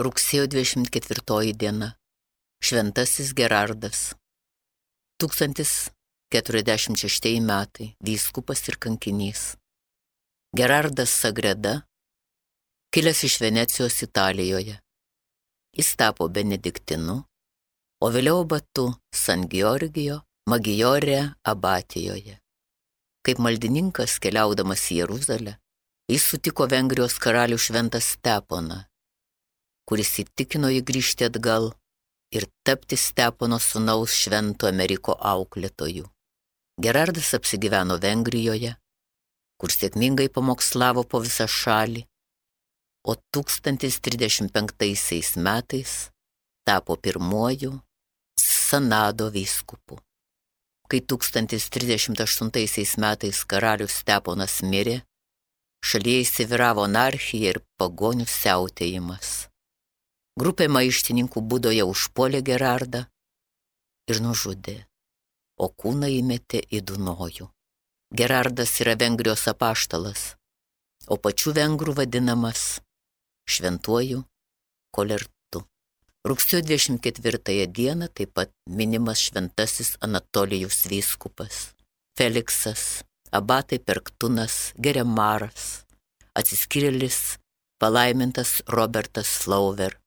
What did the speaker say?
Rugsėjo 24 diena. Šventasis Gerardas. 1046 metai. Vyskupas ir kankinys. Gerardas Sagreda, kilęs iš Venecijos Italijoje. Jis tapo benediktinu, o vėliau abatu San Georgijo Maggiore abatijoje. Kaip maldininkas keliaudamas į Jeruzalę, jis sutiko Vengrijos karalių Šventą Steponą, kuris įtikino jį grįžti atgal ir tapti Stepono sūnaus Švento Ameriko auklėtoju. Gerardas apsigyveno Vengrijoje, kur sėkmingai pamokslavo po visą šalį, o 1035 metais tapo pirmuoju Sanado vyskupu. Kai 1038 metais karalius Steponas mirė, šalyje įsivyravo anarchija ir pagonių siautėjimas. Grupė maištininkų Budoje užpuolė Gerardą ir nužudė, o kūną įmetė į Dunojų. Gerardas yra Vengrijos apaštalas, o pačių vengrų vadinamas šventuoju Kolertu. Rugsėjo 24 dieną taip pat minimas šventasis Anatolijus vyskupas, Feliksas, abatai Perktunas, Geremaras, atsiskyrėlis palaimintas Robertas Flauver,